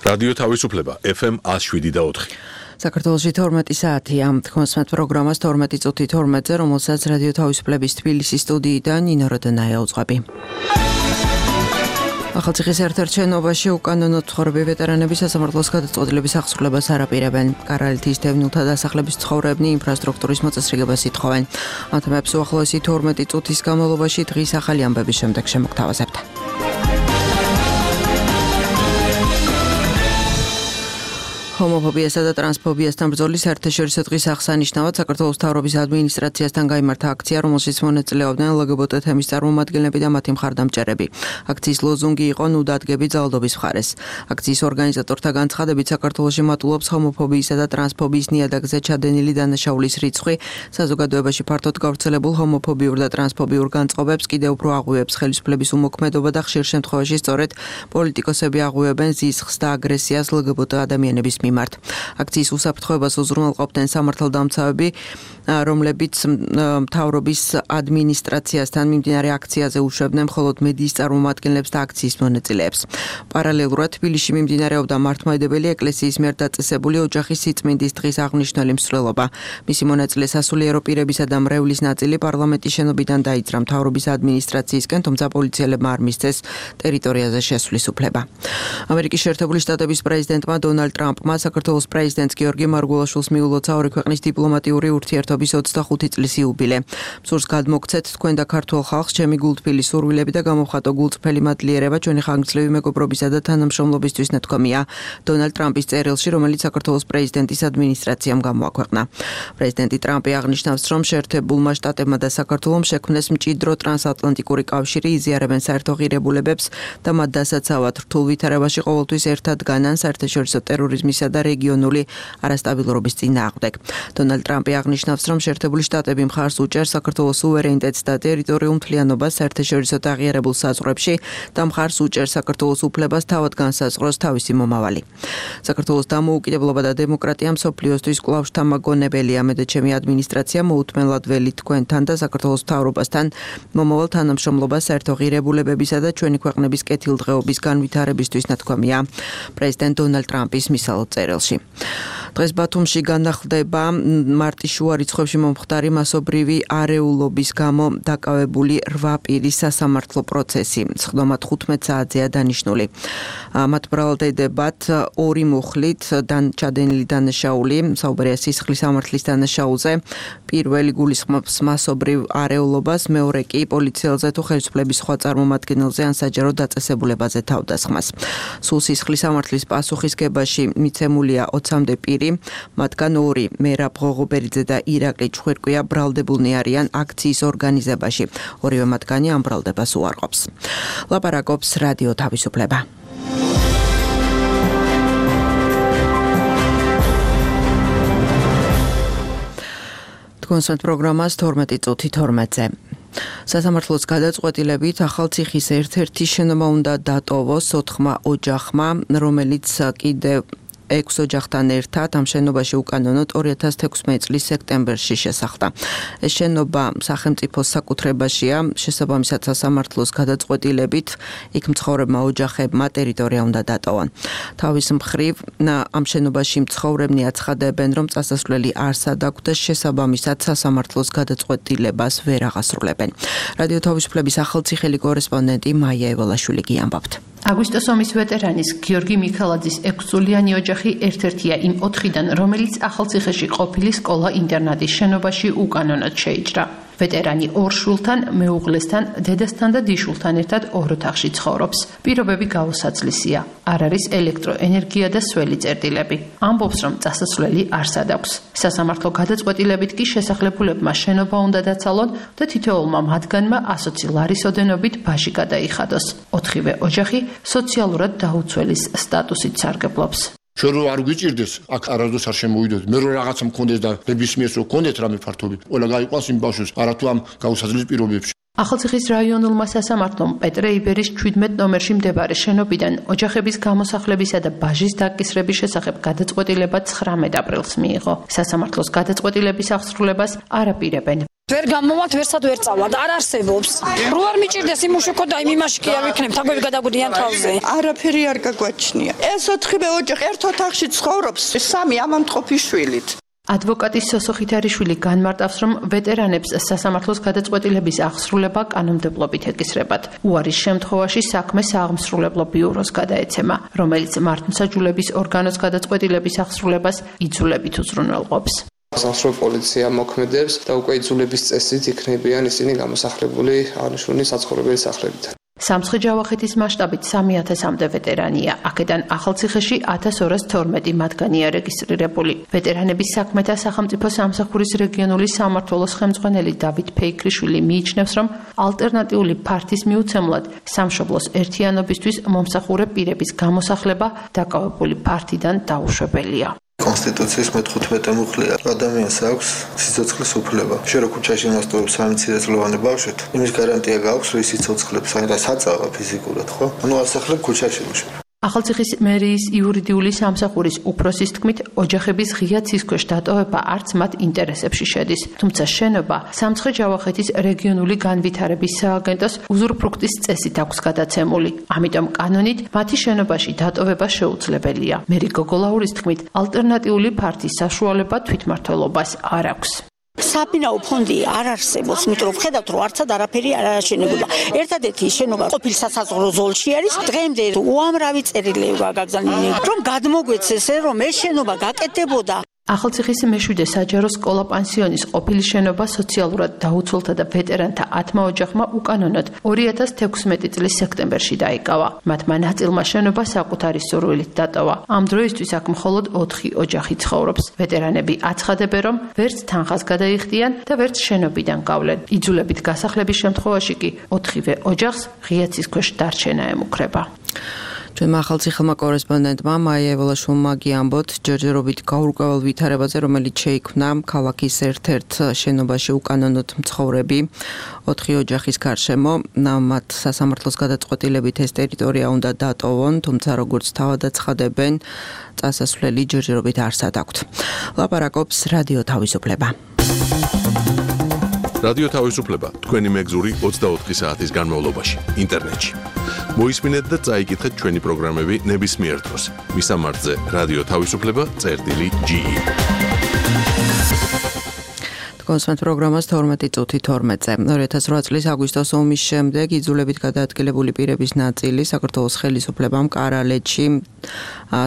რადიო თავისუფლება FM 107.4. საქართველოში 12 საათია. თქვენსმეთ პროგრამას 12 წუთი 12-ზე, რომელსაც რადიო თავისუფლების თბილისის სტუდიიდან ნინო როდონაია უძღვები. ახალციხის ერთ-ერთ შენობაში უკანონოდ მცხოვრები ვეტერანები სასამართლოს გადაწყვეტილების აღსრულებას არ აპირებენ. კარალეთის დევნილთა დასახლების მცხოვრებნი ინფრასტრუქტურის მოწესრიგებას ითხოვენ. ამ თემებს უახლოესი 12 წუთის განმავლობაში დღის ახალი ამბების შემდეგ შემოგთავაზებთ. ჰომოფობიასა და ტრანსფობიასთან ბრძოლის საერთაშორისო დღის აღსანიშნავად საქართველოს მთავრობის ადმინისტრაციასთან გაიმართა აქცია, რომელშიც მონაწილეობდნენ LGBT თემის წარმომადგენლები და მათი მხარდამჭერები. აქციის ლოზუნგი იყო „ნუ დადგები ძალადობის მხარეს“. აქციის ორგანიზატორთა განცხადებით, საქართველოში მატულობს ჰომოფობიისა და ტრანსფობიის ნიადაგზე ჩადენილი დანაშაულის რიცხვი. საზოგადოებაში ფართოდ გავრცელებულ ჰომოფობიურ და ტრანსფობიურ განწყობებს კიდევ უფრო აღვივებს ხელისუფლების უმოქმედობა და ხშირ შემთხვევაში სწორედ პოლიტიკოსები აღვივებენ ზიზღს და აგრესიას LGBT ადამიანების მიმართ. აქციის უსაფრთხოებას უზრუნველყოფდნენ სამართალდამცავები, რომლებიც მთავრობის ადმინისტრაციასთან მიმდინარე აქციაზე უშვებდნენ მხოლოდ მედიის წარმომადგენლებს და აქციის მონაწილეებს. პარალელურად თბილისში მიმდინარეობდა მართლმადიდებელი ეკლესიის მიერ დაწესებული ოჯახის სიწმინდის დღის აღნიშნული მსვლელობა. მისი მონაწილე სასულიერო პირებისა და მრევლის ნაწილი პარლამენტის შენობიდან დაიძრა მთავრობის ადმინისტრაციისკენ, თუმცა პოლიციელებმა არ მისცეს ტერიტორიაზე შესვლის უფლება. ამერიკის შეერთებული შტატების პრეზიდენტმა დონალდ ტრამპმა საქართველოს პრეზიდენტს გიორგი მარგულაშვილს მიულოცა ორი ქვეყნის დიპლომატიური ურთიერთობის 25 წლის იუბილე. მსურს გადმოგცეთ თქვენ და ქართულ ხალხს ჩემი გულთბილი სურვილები და გამოვხატო გულწრფელი მადლიერება ჩვენი ხანგრძლივი მეგობრობისა და თანამშრომლობისთვის ნათქვამია დონალდ ტრამპის წერილში, რომელიც საქართველოს პრეზიდენტის ადმინისტრაციამ გამოაქვეყნა. პრეზიდენტი ტრამპი აღნიშნავს, რომ შეერთებულმა შტატებმა და საქართველომ შექმნეს მჭიდრო ტრანსატლანტიკური კავშირი, იზიარებენ საერთო ღირებულებებს და მათ დასაცავად რთულ ვითარებაში ყოველთვის ერთად განან საერთაშორისო ტერორიზმის და რეგიონული არასტაბილურობის წინააღმდეგ. დონალდ ტრამპი აღნიშნავს, რომ შეერთებული შტატები მხარს უჭერს საქართველოს სუვერენიტეტს და ტერიტორიულ მთლიანობას საერთაშორისო აღიარებულ საზღვრებში და მხარს უჭერს საქართველოს უფლებას თავად განსაზღვროს თავისი მომავალი. საქართველოს დამოუკიდებლობა და დემოკრატია მსოფლიოსთვის კვლავ შთამაგონებელია. მე და ჩემი ადმინისტრაცია მოუთმენლად ველით თქვენთან და საქართველოს მთავრობასთან მომავალ თანამშრომლობას საერთო ღირებულებებისა და ჩვენი ქვეყნების კეთილდღეობის განვითარებისთვის ნათქვამია პრეზიდენტ დონალდ ტრამპის მისალოდ წერილში. დღეს ბათუმში განახლდება მარტის შუა რიცხვებში მომხდარი მასობრივი არეულობის გამო დაკავებული 8 პირის სასამართლო პროცესი. სხდომა 15 საათზეა დანიშნული. მათ ბრალდებათ 2 მუხლით ჩადენილი დანაშაული, საუბარია სისხლის სამართლის დანაშაულზე, პირველი გულისხმობს მასობრივ არეულობას, მეორე კი პოლიციელზე თუ ხელისუფლების სხვა წარმომადგენელზე ან საჯარო დაწესებულებაზე თავდასხმას. სულ სისხლის სამართლის პასუხისგებაში მიცემულია 20-მდე პირი, მათგან 2 მერაბ ღოღობერიძე და ირაკლი ჩხვირკვია ბრალდებულნი არიან აქციის ორგანიზებაში. ორივე მათგანი ამ ბრალდებას უარყოფს. ლაპარაკობს რადიო თავისუფლება. თქვენსმეთ პროგრამას 12 წუთი 12-ზე. სასამართლოს გადაწყვეტილებით ახალციხის ერთ-ერთი შენობა უნდა დატოვოს 4 ოჯახმა, რომელიც კიდევ 6 ოჯახთან ერთად ამ შენობაში უკანონოდ 2016 წლის სექტემბერში შესახდა. ეს შენობა სახელმწიფოს საკუთრებაშია, შესაბამისად სასამართლოს გადაწყვეტილებით იქ მცხოვრებმა ოჯახებმა ტერიტორია უნდა დატოვონ. თავის მხრივ ამ შენობაში მცხოვრებნი აცხადებენ, რომ წასასვლელი არსად აქვს და შესაბამისად სასამართლოს გადაწყვეტილებას ვერ აღასრულებენ. რადიო თავისუფლების ახალციხელი კორესპონდენტი მაია ევალაშვილი გიამბობთ. აგვისტოს ომის ვეტერანის გიორგი მიქელაძის 6-წლიანი ოჯახი ერთ-ერთია იმ 4-დან, რომელიც ახალციხეში ყოფილი სკოლა-ინტერნატის შენობაში უკანონოდ შეიჭრა. ვეტერანი 2 შვილთან, მეუღლესთან, დედასთან და დიშულთან ერთად 2 ოთახში ცხოვრობს. პირობები გაუსაცლისია. არ არის ელექტროენერგია და სველი წერტილები. ამბობს, რომ წასასვლელი არსად აქვს. სასამართლო გადაწყვეტილებით კი შესახლებულებმა შენობა უნდა დაცალონ და თითოეულმა მათგანმა 120 ლარის ოდენობით ბაჟი გადაიხადოს. 4-ვე ოჯახი სოციალურად დაუცველის სტატუსით სარგებლობს. Ჩვენ რო არ გვიჭირდეს, აქ არასდროს არ შემოვიდოთ. მე რო რაღაცა მქონდეს და ნებისმიერს რო გქონდეთ რამე ფართობი, ყველა გაიყვანს იმ ბავშვს, არათუ ამ გაუსაძლებელ პირობებში. ახალციხის რაიონულმა სასამართლომ პეტრე იბერის 17 ნომერში მდებარე შენობიდან ოჯახების გამოსახლებისა და ბაჟის დაკისრების შესახებ გადაწყვეტილება 19 აპრილს მიიღო. სასამართლოს გადაწყვეტილების აღსრულებას არ აპირებენ ვერ გამოვართ, ვერსად ვერ წავალთ, არ არსებობს. რო არ მიჭირდეს იმ უშუქო და იმ იმაში კი არ ვიქნებ, თაგვები გადაგვდიან თავზე. არაფერი არ გაგვაჩნია. ეს 4 ოჯახი ერთ ოთახში ცხოვრობს, 3 ამამტყოფი შვილით. ადვოკატის სოსო ხითარიშვილი განმარტავს, რომ ვეტერანებს სასამართლოს გადაწყვეტილების აღსრულება კანონმდებლობით ეკისრებათ. უარის შემთხვევაში საქმე სააღმსრულებლო ბიუროს გადაეცემა, რომელიც მართლმსაჯულების ორგანოს გადაწყვეტილების აღსრულებას იძულებით უზრუნველყოფს. სასამართლო პოლიცია მოქმედებს და უკვე იძულების წესით იქნებიან ისინი გამოსახლებული აღნიშნული საცხოვრებელი სახლებიდან. სამცხე-ჯავახეთის მასშტაბით 3000-მდე ვეტერანია. აქედან ახალციხეში 1212 მათგანია რეგისტრირებული. ვეტერანების საქმეთა სახელმწიფო სამსახურის რეგიონული სამმართველოს ხელმძღვანელი დავით ფეიქრიშვილი მიიჩნევს, რომ ალტერნატიული ფართის მიუცემლად სამშობლოს ერთიანობისთვის მომსახურე პირების გამოსახლება დაკავებული ფართიდან დაუშვებელია. კონსტიტუციის 15 მუხლია ადამიანს აქვს სიცოცხლის უფლება. შენ ქუჩაში მასტურებს 13 წლოვანი ბავშვით, იმის გარანტია გაქვს, რომ ის სიცოცხლებს საერთოდ საწავა ფიზიკურად, ხო? ანუ ასახლებ ქუჩაში მუშაობ. ახალციხის მერიის იურიდიული სამსახურის უფროსის თქმით, ოჯახების ღია ცისქვეშ დატოვება არც მათ ინტერესებში შედის. თუმცა შენობა სამცხე-ჯავახეთის რეგიონული განვითარების სააგენტოს უზურპრუქტის წესით აქვს გადაცემული. ამიტომ კანონით მათი შენობაში დატოვება შეუძლებელია. მერი გოგოლაურის თქმით, ალტერნატიული ფართის საშუალება თვითმმართველობას არ აქვს. საბინაო ფონდი არ არსებობს, იმიტომ რომ ხედავთ, რომ არცად არაფერი არ აშენებულა. ერთადერთი შენობა ყოფილ სასაზღვრო ზოლში არის. დღემდე უამრავი წერილები გაგაგზავნილი, რომ გადმოგვეცეს, რომ ეს შენობა გაკეთდებოდა. ახალციხის მეშვიდე საჯარო სკოლა-პანსიონის ყოფილი შენობა სოციალურად დაუცველთა და ვეტერანთა 10 ოჯახმა უკანონოდ 2016 წლის სექტემბერში დაიკავა. მათმა ნაწილმა შენობა საკუთარი სურვილით დატოვა. ამ დროისთვის აქ მხოლოდ 4 ოჯახი ცხოვრობს. ვეტერანები აცხადებენ, რომ ვერც თანხას გადაიხდიან და ვერც შენობიდან გავლენ. იძულებით გასახლების შემთხვევაში კი 4-ვე ოჯახს ღია ცისქვეშ დარჩენა ემუქრება. ჩვენმა ახალციხელმა კორესპონდენტმა მაია ევალაშვილმა გიამბოთ ჯერჯერობით გაურკვეველ ვითარებაზე, რომელიც შეიქმნა ქალაქის ერთ-ერთ შენობაში უკანონოდ მცხოვრები 4 ოჯახის გარშემო. მათ სასამართლოს გადაწყვეტილებით ეს ტერიტორია უნდა დატოვონ, თუმცა როგორც თავად აცხადებენ, წასასვლელი ჯერჯერობით არსად აქვთ. ლაპარაკობს რადიო თავისუფლება. რადიო თავისუფლება თქვენი მეგზური 24 საათის განმავლობაში ინტერნეტში. მოისმინეთ და წაიკითხეთ ჩვენი პროგრამები ნებისმიერ დროს. მისამართზე რადიო თავისუფლება.ge. კონსვენთ პროგრამას 12:12-ზე 2008 წლის აგვისტოს ომის შემდეგ იძულებით გადაადგილებული პირების ნაწილი საქართველოს ხელისუფლებამ კარალეთში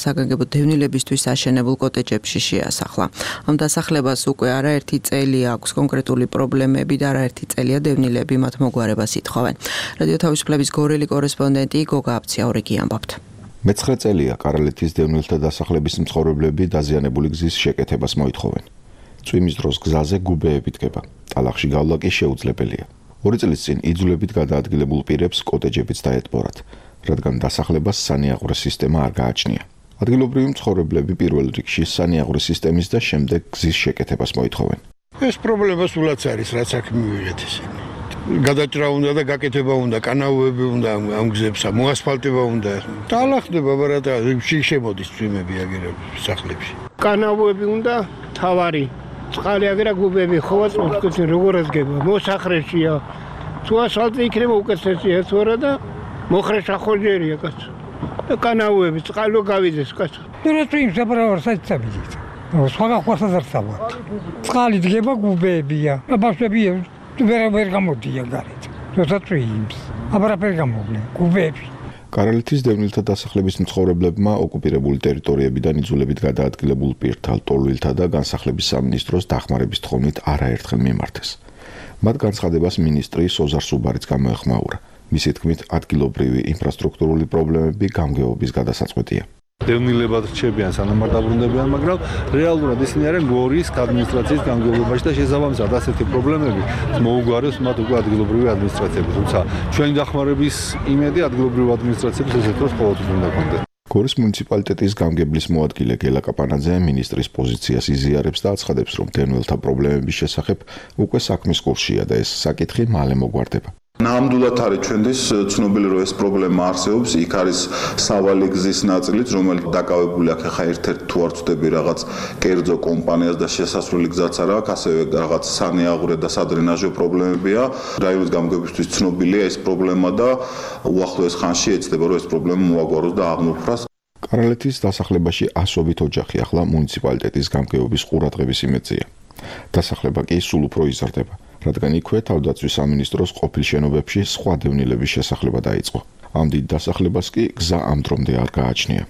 საგანგებო დევნილებისთვის აშენებულ კოტეჯებში შეასახლა. ამ დასახლებას უკვე არაერთი წელი აქვს კონკრეტული პრობლემები და არაერთი წელია დევნილები მათ მოგვარებას ითხოვენ. რადიო თავისუფლების გორელი კორესპონდენტი გოგა აბციაური გიამბობთ. მე-9 წელია კარალეთის დევნილთა დასახლების მცხოვრებლები დაზიანებული გზის შეკეთებას მოითხოვენ. წვიმის დროს გზაზე გუბეები დგება. ტალახში გავლა კი შეუძლებელია. 2 წლის წინ იძულებით გადაადგილებულ პირებს კოტეჯებიც დაეთბორათ, რადგან დასახლებას სანიაღვრე სისტემა არ გააჩნია. ადგილობრივი მცხოვრებლები პირველ რიგში სანიაღვრე სისტემის და შემდეგ გზის შეკეთებას მოითხოვენ. ეს პრობლემა სულაც არის, რაც აქ მივიღეთ ისინი. გადაჭრა უნდა და გაკეთება უნდა, კანაოები უნდა ამ გზებსა, მოასფალტება უნდა. დაალახდება, მაგრამ შემოდის წვიმები აგერებ სახლებში. კანაოები უნდა თავარი წყალი აგერა გუბები ხოვა წუთკეცი როგორ ეზგება მოსახრეშია თუ ასფალტი იქნება უკეთესია თუ არა და მოხრეშა ხოჯერია კაცო და კანაოები წყალო გავიდეს კაცო დურეთო იმ საბრალ საერთაბიძით სხვა ხوارსა დარწავა წყალი დგება გუბებია ბავშვები ვერ გამოდიან გარეთ როცა წვიმს აბარაფერი გამოვლენ გუბები კარალეთის დევნილთა დასახლების მცხოვრებლებმა ოკუპირებული ტერიტორიებიდან იძულებით გადაადგილებულ პირთა, ლტოლვილთა და განსახლების სამინისტროს დახმარების თხოვნით არაერთხელ მიმართეს. მათ განცხადებას მინისტრი სოზარ სუბარიც გამოეხმაურა. მისი თქმით, ადგილობრივი ინფრასტრუქტურული პრობლემები გამგეობის გადასაწყვეტია. დევნილებად რჩებიან, სანამ არ დაბრუნდებიან, მაგრამ რეალურად ისინი არიან გორის ადმინისტრაციის გამგეობაში და შესაბამისად ასეთი პრობლემები მოუგვარებს მათ უკვე ადგილობრივი ადმინისტრაციები. თუმცა ჩვენი დახმარების იმედი ადგილობრივი ადმინისტრაციების ესეთ დროს ყოველთვის უნდა გქონდეს. გორის მუნიციპალიტეტის გამგებლის მოადგილე გელა კაპანაძე მინისტრის პოზიციას იზიარებს და აცხადებს, რომ დევნილთა პრობლემების შესახებ უკვე საქმის კურსია და ეს საკითხი მალე მოგვარდება. ნამდვილად არის ჩვენთვის ცნობილი რომ ეს პრობლემა არსებობს, იქ არის სავალი გზის ნაწილიც, რომელიც დაკავებული აქ ხა ერთ-ერთ თუ არ ვწდები რაღაც კერძო კომპანიას და შესასვლელი გზაც არ აქვს, ასევე რაღაც სანეაღურე და სადრენაჟო პრობლემებია. რაიონის გამგეობისთვის ცნობილია ეს პრობლემა და უახლოეს ხანში ეცდება რომ ეს პრობლემა მოაგვაროს და აღმოფხვრას. კარალეთის დასახლებაში ასობით ოჯახი ახლა მუნიციპალიტეტის გამგეობის ყურადღების იმედზეა. დასახლება კი სულ უფრო იზრდება, რადგან იქვე თავდაცვის სამინისტროს ყოფილ შენობებში სხვა დევნილების შესახლება დაიწყო. ამ დიდ დასახლებას კი გზა ამ დრომდე არ გააჩნია.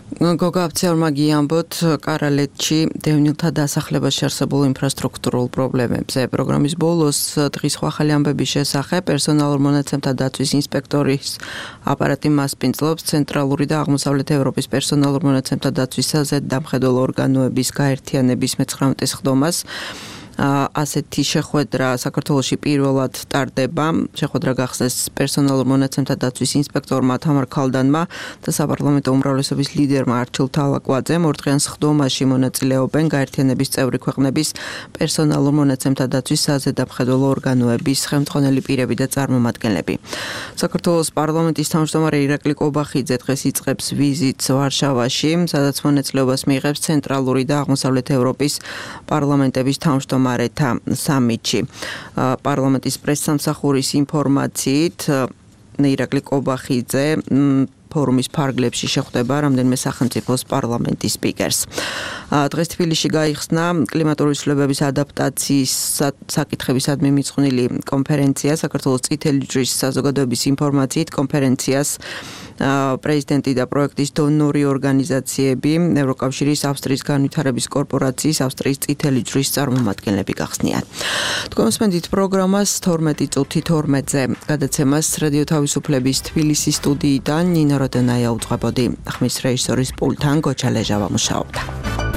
გოგა აფცეორმა გიამბოთ კარალეთში დევნილთა დასახლებაში არსებულ ინფრასტრუქტურულ პრობლემებზე. პროგრამის ბოლოს დღის ახალი ამბების შესახებ პერსონალურ მონაცემთა დაცვის ინსპექტორის აპარატი მასპინძლობს ცენტრალური და აღმოსავლეთ ევროპის პერსონალურ მონაცემთა დაცვის საზედამხედველო ორგანოების გაერთიანების 19 სხდომას. ასეთი შეხვედრა საქართველოში პირველად ტარდება. შეხვედრა გახსნეს პერსონალურ მონაცემთა დაცვის ინსპექტორმა თამარ ქალდანმა და საპარლამენტო უმრავლესობის ლიდერმა არჩილ თალაკვაძემ. ორდღიან სხდომაში მონაწილეობენ გაერთიანების წევრი ქვეყნების პერსონალურ მონაცემთა დაცვის საზედამხედველო ორგანოების ხელმძღვანელი პირები და წარმომადგენლები. საქართველოს პარლამენტის თავმჯდომარე ირაკლი კობახიძე დღეს იწყებს ვიზიტს ვარშავაში, სადაც მონაწილეობას მიიღებს ცენტრალური და აღმოსავლეთ ევროპის პარლამენტების თავმჯდომარე სამიტში. პარლამენტის პრესსამსახურის ინფორმაციით ირაკლი კობახიძე ფორუმის ფარგლებში შეხვდება რამდენიმე სახელმწიფოს პარლამენტის სპიკერს. დღეს თბილისში გაიხსნა კლიმატური ცვლილებების ადაპტაციის საკითხებისადმი მიძღვნილი კონფერენცია. საქართველოს წითელი ჯვრის საზოგადოების ინფორმაციით კონფერენციას პრეზიდენტი და პროექტის დონორი ორგანიზაციები, ევროკავშირის, ავსტრიის განვითარების კორპორაციის, ავსტრიის წითელი ჯვრის წარმომადგენლები გახსნიან. თქვენ მოსმენთ პროგრამას 12 წუთი 12-ზე გადაცემას რადიო თავისუფლების თბილისის სტუდიიდან ნინა როდონაია უძღვებოდი. ხმის რეჟისორის პულტთან გოჩა ლეჟავა მუშაობდა.